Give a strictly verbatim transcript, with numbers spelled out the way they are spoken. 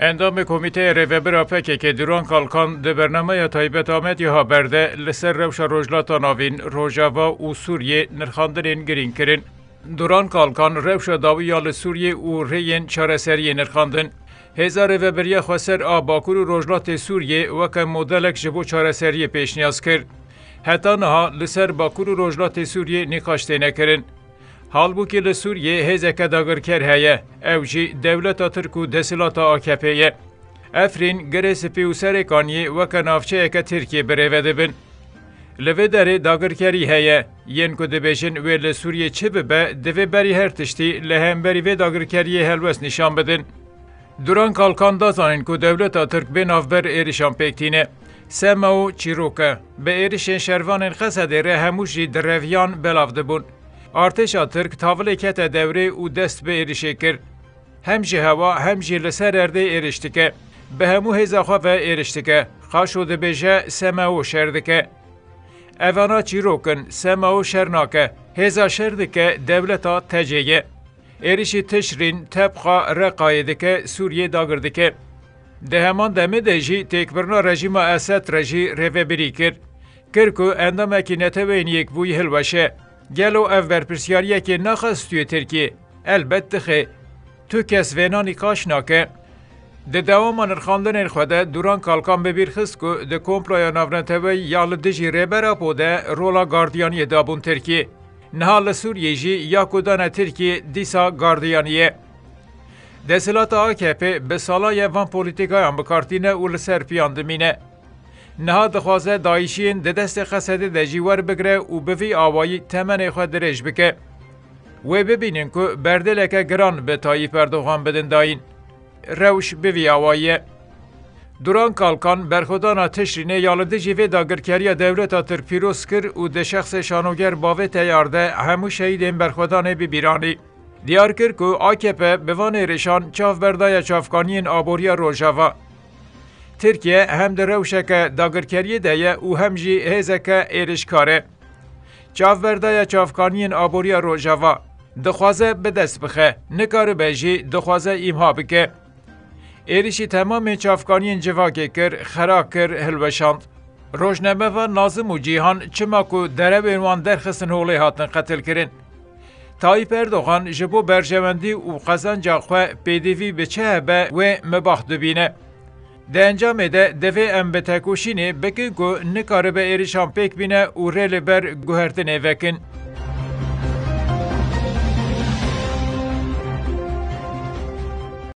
Endamê Komîteya Rêvebir a P K K Duran Kalkan di bernameya taybet Amedya Haber de li ser rewşa Rojhilata Navîn, Rojava û Sûriyê nirxandinên girîng kirin. Duran Kalkan rewşa dawî ya li Sûriyê û rêyên çareseriyê nirxandin. Hêza Rêveberiya Xweser a Bakur û Rojhilatê Sûriyê weke modelek ji bo çareseriyê pêşniyaz kir. Heta niha li ser Bakur û Rojhilatê Sûriyê nîqaş têne kirin. Halbûkî li Sûriyê hêzeke dagirker heye, ew jî dewleta Tirk û desthilata A K P ye. Efrîn, Girê Spî û Serêkaniyê weke navçeyeke Tirkiyê birêve dibin. Li vê derê dagirkerî heye. Yên ku dibêjin wê li Sûriyê çi bibe, divê berî her tiştî li hemberî vê dagirkeriyê helwest nîşan bidin. Duran Kalkan da zanîn ku dewleta Tirk bê navber êrişan pêk tîne. Semao çîrok e. Bi êrişên şervanên Qesedê re hemû jî direviyan, belav dibûn. Artêşa Tirk tavilê kete dewrê û dest bi êrişê kir. Hem ji hewa hem jî li ser erdê êriş dike. Bi hemû hêza xwe ve êriş dike. Qaşo dibêje, Semao şer dike. Evana çîrok in, Semao şer nake. Hêza şer dike, dewleta T C ye. Êrişî Tişrîn, Tebqa, Reqayê dike, Sûriyê dagir dike. Di heman demê de jî têkbirina rejîma Esed re jî rêvebirî kir. Kir ku endamekî Neteweyên Yekbûyî hilweşe. Gelo ev berpirsiyariyekê naxe stûyê Tirkiyê? Elbet dixe. Tu kes vêna nîqaş nake. Di dewama nirxandinên xwe de Duran Kalkan bi bîr xist ku di komploya navneteweyî ya li dijî Rêber Apo de rola gardiyaniyê dabûn Tirkiyê. Niha li Sûriyê jî ya ku dane Tirkiyê dîsa gardiyanî ye. Desthilata A K P bi salan ye van polîtîkayan bi kar tîne û li ser piyan dimîne. Niha dixwaze dayîşiyên di destê Qesedê de jî werbigire û bi vî awayî temenê xwe dirêj bike. Wê bibînin ku berdêleke giran bi Tayyîp Erdogan bidin dayîn. Rewş bi vî awayî ye. Duran Kalkan berxwedana Tişrînê ya li dijî vê dagirkeriya dewleta Tirk pîroz kir û di şexsê şanoger bavê teyar de hemû şehîdên berxwedanê bi bîr anî. Diyar kir ku A K P bi van êrişan çav berdaye çavkaniyên aboriya Rojava. Tirkiye hem di rewşeke dagirkeriyê de ye û hem jî hêzeke êrişkar e. Çav berdaye çavkaniyên aboriya Rojava. Dixwaze bi dest bixe, nikaribe jî dixwaze îmha bike. Êrişî temamên çavkaniyên civakê kir, xera kir, hilweşand. Rojnamevan Nazim û Cîhan çima ku derewên wan derxistin holê hatin qetilkirin. Tayyîp Erdogan ji bo berjewendî û qezenca xwe pêdivî bi çi hebe wê mibah dibîne. Di encamê de divê em bi tekoşînê bikin ku nikaribe êrişan pêk bîne û rê li ber guhertinê vekin.